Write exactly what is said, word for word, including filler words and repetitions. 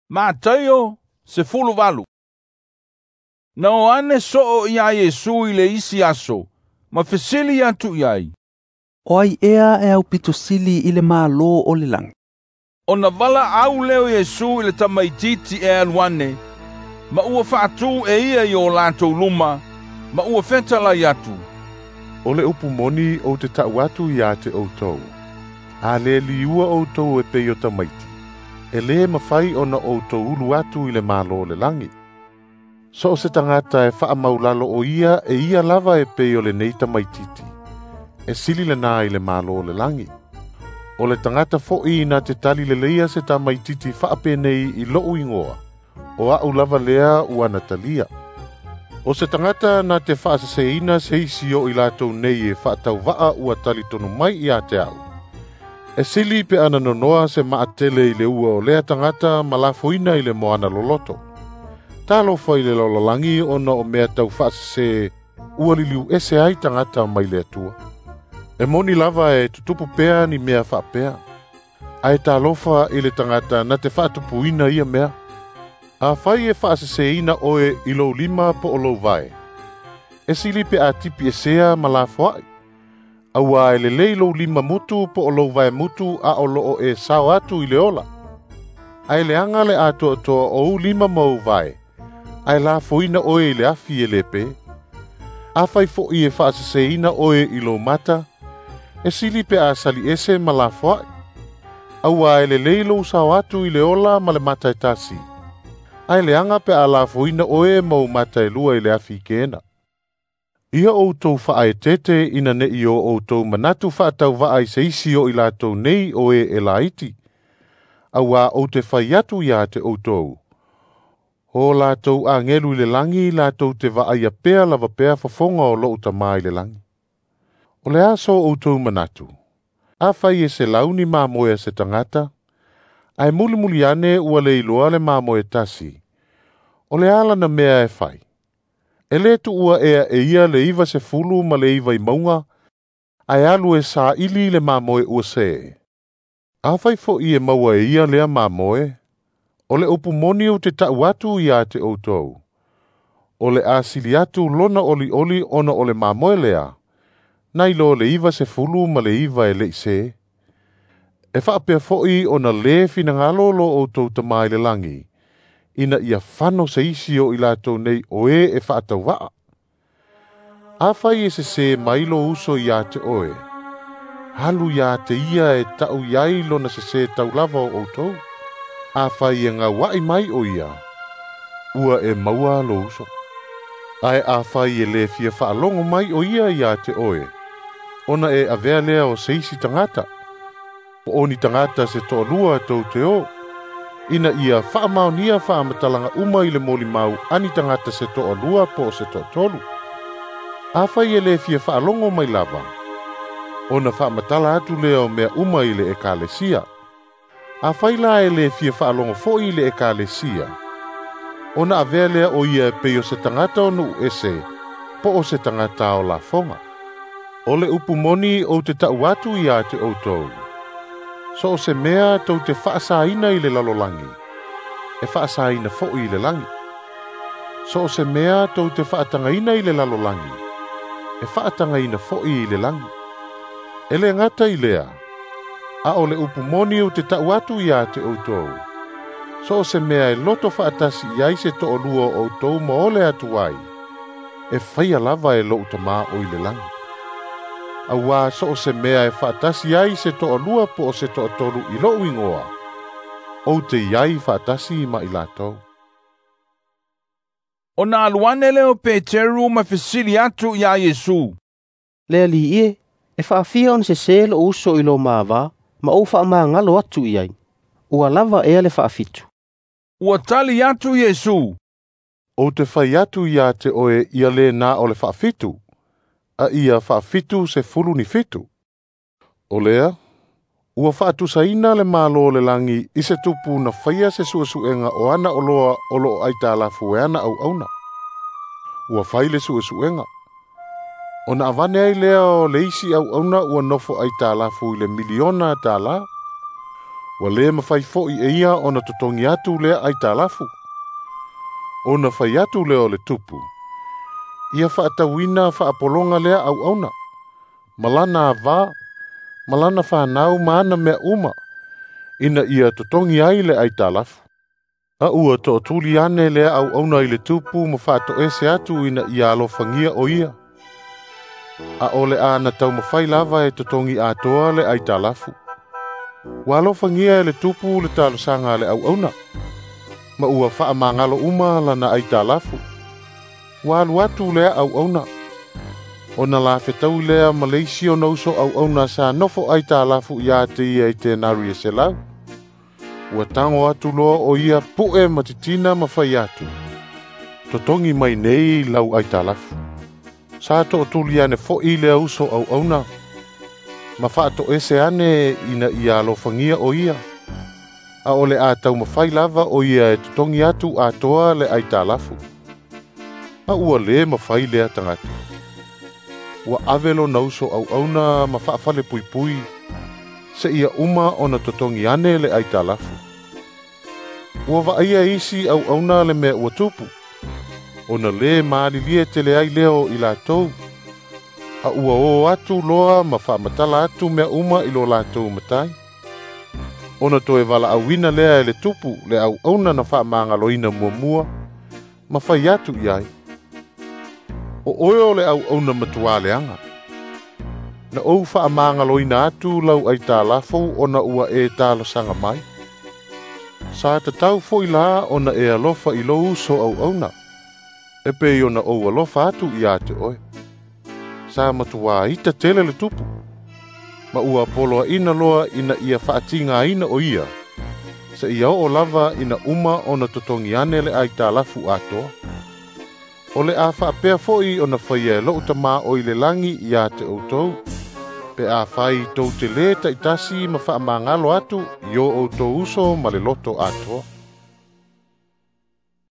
Mataio sefuluvalu. Na o ane soo ia Iesu i le isi aso, ma fesili atu i ai. O ai ea e aupito sili i le Malo o le lagi. Ona valaau lea o Iesu i le tamaitiiti e alu ane, ma ua faatū e ia i o latou luma, ma ua fetalai atu. O le upu moni ou te ta'u atu ia te outou. A le liua outou e pei o tamaiti, e lē mafai ona outou ulu atu i le Malo o le lagi. So o se tagata e faamaulalo o ia e ia lava e pei o lenei tamaitiiti, e sili lena i le Malo o le lagi. O le tagata fo'i na te tali leleia se tamaitiiti faapenei i lo'u igoa, o a'u lava lea ua na talia. O se tagata na te faaseseina se isi o i latou nei e faatauva'a ua talitonu mai ia te a'u, e sili pe ana nonoa se maatele i le ua o lea tagata ma lafoina i le moana loloto. Talofa i le lalolagi ona o mea tau faasese ua liliu ese ai tagata mai le Atua. E moni lava e tutupu pea ni mea faapea, ae talofa i le tagata na te faatupuina ia mea. Afai e faaseseina oe i lou lima po o lou vae, e sili pe a tipi esea ma lafoa'i, auā e lelei lou lima mutu po o lou vae mutu a o loo e sao atu i le ola. Ae leaga le atoatoa o ou lima ma ou vae, ae lafoina oe i le afi e lē pē. Afai fo'i e faaseseina oe i lou mata, e sili pe a sali ese ma lafoa'i, auā e lelei lou sao atu i le ola ma le mata e tasi, ae leaga pe a lafoina oe ma ou mata e lua i le afi kena. Ia outou faaeteete ina ne'i o outou manatu faatauva'a i se isi o i latou nei o e e laiti, auā ou te fai atu ia te outou. O latou agelu i le lagi latou te vaaia pea lava pea fofoga o lo'u Tamā i le lagi. O le a so outou manatu? Afai e selau ni mamoe a se tagata, ae mulimuli ane ua le iloa le mamoe tasi, o le a lana mea e fai? E lē tu'ua ea e ia le iva sefulu ma le iva i mauga, ae alu e saili le mamoe ua sē. Afai fo'i e maua e ia lea mamoe, o le upu moni ou te ta'u atu ia te outou. O le a sili atu lona olioli ona o le mamoe lea, nai lo le iva sefulu ma le iva e le'i sē. E faapea fo'i ona lē finagalo lo outou Tamā i le lagi, ina ia fano se isi o i latou nei o e e faatauva'a. Afai e sesē mai lou uso ia te oe, alu ia te ia e ta'u i ai lona sesē taulava o outou. Afai e gaua'i mai o ia, ua e maua lou uso. Ae afai e lē fia faalogo mai o ia ia te oe, ona e avea lea o se isi tagata, po o ni tagata se to'alua tou te o, ina ia faamaonia faamatalaga uma i le molimau a ni tagata se to'alua po o se to'atolu. Afai e lē fia faalogo mai lava, ona faamatala atu lea o mea uma i le ekalesia. Afai la e lē fia faalogo fo'i i le ekalesia, ona avea lea o ia e pei o se tagata o nu'u ese, po o se tagata o lafoga. O le upu moni ou te ta'u atu ia te outou. So o se mea tou te faasaina i le lalolagi, e faasaina fo'i i le lagi. So o se mea tou te faatagaina i le lalolagi, e faatagaina fo'i i le lagi. E lē gata i lea, a o le upu moni ou te ta'u atu ia te outou. So o se mea e loto faatasi i ai se to'alua o outou ma ole atu ai, e faia lava e lo'u Tamā o i le lagi. Auā so o se mea e faatasi ai se to'alua po o se to'atolu i lo'u igoa, ou te i ai faatasi ma i latou. Ona alu ane lea o Peteru ma fesili atu iā Iesu. Le Alii e, e faafia ona sesē lo'u uso i lo mavā, ma ou faamagalo atu i ai. Ua lava ea le faafitu. Ua tali atu Iesu. Ou te fai atu ia te oe ia lē na o le faafitu, a ia faafitu sefulu ni fitu. O lea, ua faatusaina le Malo o le lagi i se tupu na faia se su'esu'ega o ana oloa o lo'o aitalafu e ana auauna. Ua fai le su'esu'ega. Ona avane ai lea o le isi auauna ua nofo aitalafu i le miliona tālā. Ua lē mafai fo'i e ia ona totogi atu lea aitalafu. Ona fai atu lea o le tupu, ia fa'atauina fa'apologa lea auauna, ma lana avā, ma lana fanau ma ana mea uma, ina ia totogi ai le aitalafu. A ua to'atuli ane lea auauna i le tupu ma fa'ato'ese atu ina ia alofagia o ia. A o le a na taumafai lava e totogi atoa le aitalafu. Ua alofagia e le tupu le talosaga a le auauna, ma ua fa'amagalo uma lana aitalafu. Ua alu atu lea auauna, ona lafetaui lea ma le isi ona uso auauna sa nofo aitalafu iā te ia i tenari e selau. Ua tago atu loa o ia pu'e ma titina ma fai atu, totogi mai nei lau aitalafu. Sa to'atuli ane fo'i lea uso auauna, ma fa'ato'ese ane ina ia alofagia o ia. A o le a taumafai lava o ia e totogi atu atoa le aitalafu. A ua lē mafai lea tagata. Ua ave lona uso auauna ma fa'afalepuipui, se'ia uma ona totogi ane le aitalafu. Ua va'aia isi auauna le mea ua tupu, ona lē malilie tele ai lea o i latou, a ua o atu loa ma fa'amatala atu mea uma i lo latou matai. Ona toe vala'auina lea e le tupu le auauna na fa'amagaloina muamua, ma fai atu i ai, o oe o le auauna matuā leaga. Na ou fa'amagaloina atu lau aitalafu ona ua e talosaga mai. Sa tatau fo'i la ona e alofa i lou uso auauna, e pei ona ou alofa atu iā te oe. Sa matuā ita tele le tupu, ma ua poloaina loa ina ia fa'atigāina o ia, se'ia o'o lava ina uma ona totogi ane le aitalafu atoa. O le a fa'apea fo'i ona faia e lo'u Tamā o i le lagi iā te outou, pe afai tou te lē ta'itasi ma fa'amagalo atu i o outou uso ma le loto atoa.